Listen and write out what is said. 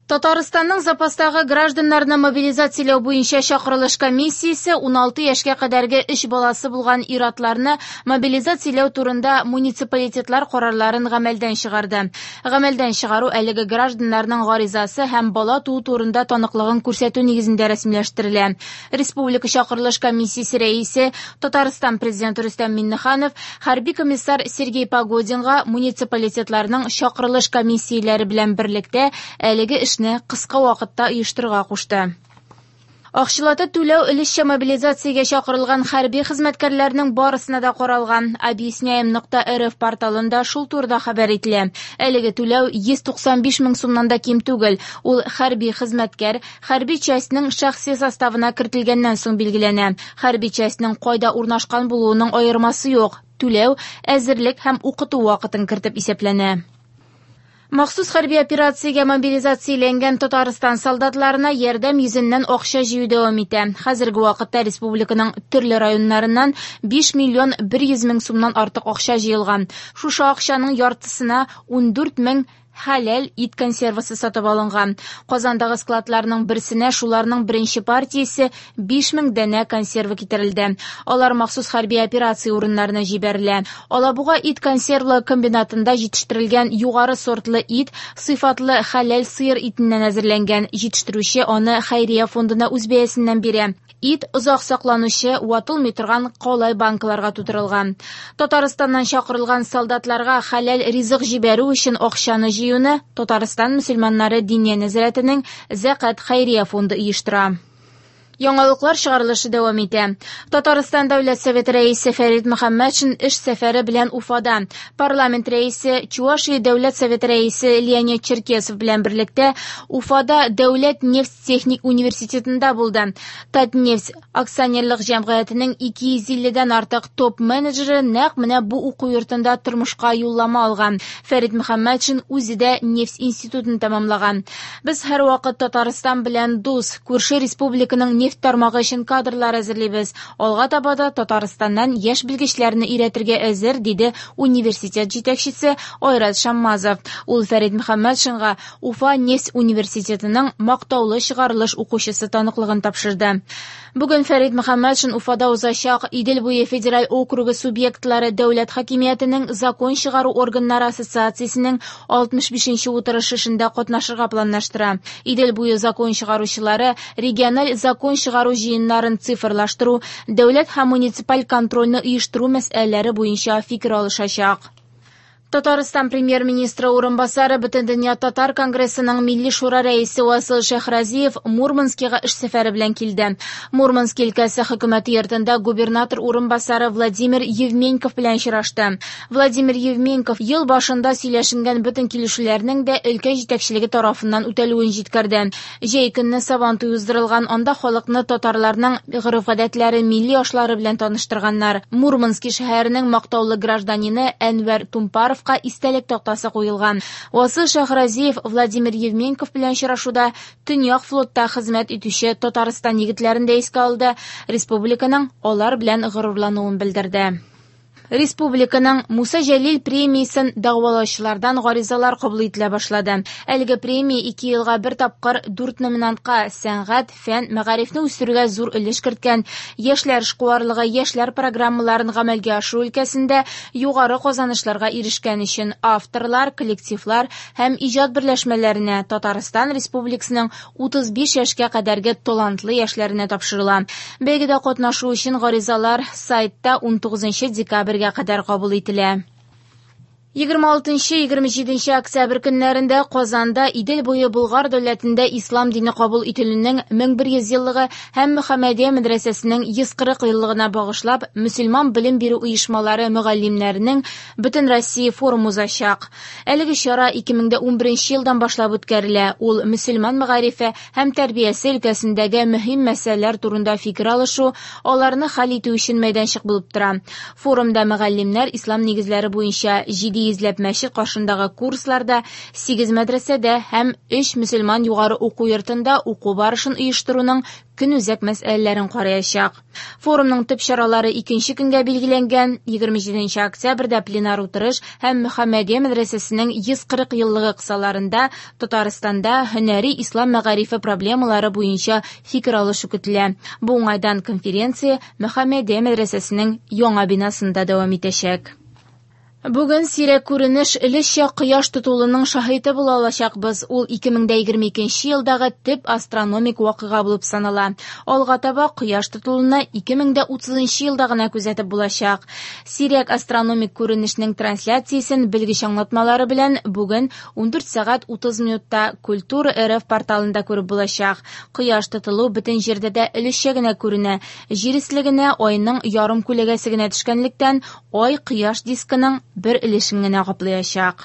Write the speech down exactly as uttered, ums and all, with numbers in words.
Татарстанның запастагы гражданнарны мобилизацияләү буенча чакырылыш комиссиясе уналты яшькә кадәрге өч баласы булган ир-атларны мобилизацияләү турында муниципалитетлар карарларын гамәлдән чыгарды. Гамәлдән чыгару әлеге гражданнарның гаризасы һәм бала туу турында таныклыгын күрсәтү нигезендә рәсмиләштерелә. Республика чакырылыш комиссиясе рәисе Татарстан президенты Рөстәм Миңнеханов хәрби комиссар Сергей Погодинга муниципалитетларның чакырылыш комиссияләре белән берлектә әлеге эшне кыска вакытта оештырырга кушты. Акчалата түләү өлешчә мобилизациягә чакырылган хәрби хезмәткәрләрнең барысына да каралган. Объясняем нокта рф порталында шул турыда хәбәр ителә. Әлеге түләү йөз туксан биш мең сумнан да ким түгел. Ул хәрби хезмәткәр хәрби частьның шәхси составына кертелгәннән соң билгеләнә. Хәрби частьның кайда урнашкан булуының аермасы юк. Түләү әзерлек һәм укыту вакытын кертеп исәпләнә. Махсус хәрби операциягә мобилизацияләнгән Татарстан солдатларына ярдәм йөзеннән акча җыю дәвам итә. Хәзерге вакытта республиканың төрле районнарыннан биш миллион бер йөз мең сумнан артык акча җыелган. Шушы акчаның яртысына ундүрт мең хәләл ит консервасы сатып алынган. Казандагы складларның берсенә шуларның беренче партиясе биш мең данә консервы китерелде. Алар махсус хәрби операция урыннарына җибәрелә. Алабуга ит консервлы комбинатында җитештерелгән югары сортлы ит сыйфатлы хәләл сыер итеннән әзерләнгән. Җитештерүче аны хәйрия фондына үз бәясеннән бирә. Ит озак сакланучы, ватылмый торган калай банкаларга тутырылган. Татарстаннан чакырылган солдатларга хәләл ризык җибәрү өчен акчаны җыюны Татарстан мөселманнары Диния нәзарәтенең Зәкат хәйрия фонды оештыра. Яңалыклар чыгарылышы дәвам итә. Татарстан Дәүләт Советы рәисе Фәрит Мөхәммәтшин эш сәфәре белән Уфада. Парламент рәисе, Чувашия Дәүләт Советы рәисе Леонид Черкесов белән берлектә Уфада Дәүләт нефть техник университетында булды. Татнефть акционерлык җәмгыятенең ике йөз илледән артык топ-менеджеры нәкъ менә бу уку йортында тормышка юллама алган. Фәрит Мөхәммәтшин үзе дә нефть институтын тәмамлаган. Без һәрвакыт Татарстан белән дус, күрше республиканың нефть тармагы өчен кадрлар әзерлибез. Алга таба да Татарстаннан яшь белгечләрне өйрәтергә әзер, диде университет җитәкчесе Айрат Шаммазов. Ул Фәрит Мөхәммәтшинга Уфа нефть университетының мактаулы чыгарылыш укучысы таныклыгын тапшырды. Бүген Фәрит Мөхәммәтшин Уфада узачак Идел буе федераль округы субъектлары дәүләт хакимиятенең закон чыгару органнары ассоциациясенең алтмыш бишенче утырышы эшендә катнашырга планлаштыра. Идел буе закон чыгаручылары региональ закон чыгару җыеннарын цифрлаштыру, дәүләт һәм муниципаль контрольне оештыру мәсьәләләре буенча фикер алышачак. Татарстан премьер-министры урынбасары Бөтендөнья татар конгрессының Милли шура рәисе Васил Шәһразиев Мурманскига эш сәфәре белән килде. Мурманск өлкәсе хөкүмәте йортында губернатор урынбасары Владимир Евменков белән очрашты. Владимир Евменков ел башында сөйләшенгән бөтен килешүләрнең дә өлкә җитәкчелеге тарафыннан үтәлүен җиткерде. Җәй көнне Сабантуй уздырылган, анда халыкны татарларның гореф-гадәтләре, милли ашлары белән таныштырганнар. Мурмански шәһәренең мактаулы гражданины Әнвәр Тумпаров истәлек тактасы куелган. Васил Шәһразиев Владимир Евменков белән очрашуда Төньяк флотта хезмәт итүче Татарстан егетләрен дә искә алды, республиканың алар белән горурлануын белдерде. Республиканың Муса Җәлил премиясен дәгъвалаучылардан гаризалар кабул ителә башлады. Әлеге премия ике елга бер тапкыр дүрт номинантка сәнгать, фән, мәгарифне үстерүгә зур өлеш керткән яшьләр эшкуарлыгы, яшьләр программаларын гамәлгә ашыру өлкәсендә югары казанышларга ирешкән өчен авторлар, коллективлар һәм иҗат берләшмәләренә Татарстан Республикасының утыз биш яшькә кадәрге талантлы яшьләренә тапшырыла. Бәйгедә катнашу өчен гаризалар сайтта унтугызынчы декабрьгә кадәр кабул ителә. Егерме алтынчы, егерме җиденче октябрь көннәрендә Казанда Идел буе Болгар дәүләтендә ислам дине кабул ителүнең мең бер йөз еллыгы һәм Мөхәммәдия мәдрәсәсенең йөз кырык еллыгына багышлап мөселман белем бирү оешмалары мөгаллимнәренең Бөтен Россия форумы узачак. Әлеге чара ике мең дә унберенче елдан башлап үткәрелә. Ул мөселман мәгарифе һәм тәрбиясе өлкәсендәге мөһим мәсьәләләр турында фикер алышу, аларны хәл итү өчен мәйданчык булып тора. Форумда мөгаллимнәр ислам нигезләре буенча җиде ике йөзләп мәчет каршындагы курсларда, сигез мәдрәсәдә һәм өч мөселман югары уку йортында уку барышын оештыруның көнүзәк мәсьәләләрен караячак. Форумның төп чаралары икенче көнгә билгеләнгән. егерме җиденче октябрьдә пленар утырыш һәм Мөхәммәдия мәдрәсәсенең йөз кырык еллыгы кысаларында Татарстанда һөнәри ислам мәгарифе проблемалары буенча фикер алышу көтелә. Бу уңайдан конференция Мөхәммәдия мәдрәсәсенең яңа бинасында дәвам итәчәк. Бүген сирәк күренеш өлешчә кояш тотылуының шаһиты була алачакбыз. Ул ике мең дә егерме икенче елдагы төп астрономик вакыйга булып санала. Алга таба кояш тотылуны ике мең дә утызынчы елда гына күзәтеп булачак. Сирәк астрономик күренешнең трансляциясен белгеч аңлатмалары белән бүген ундүрт сәгать утыз минутта Культура РФ порталында күреп булачак. Кояш тотылу бөтен җирдә дә өлешчә генә күренә. Җир өслегенә айның ярым күләгәсе генә төшкәнлектән, ай кояш дискының бер өлешен генә каплаячак.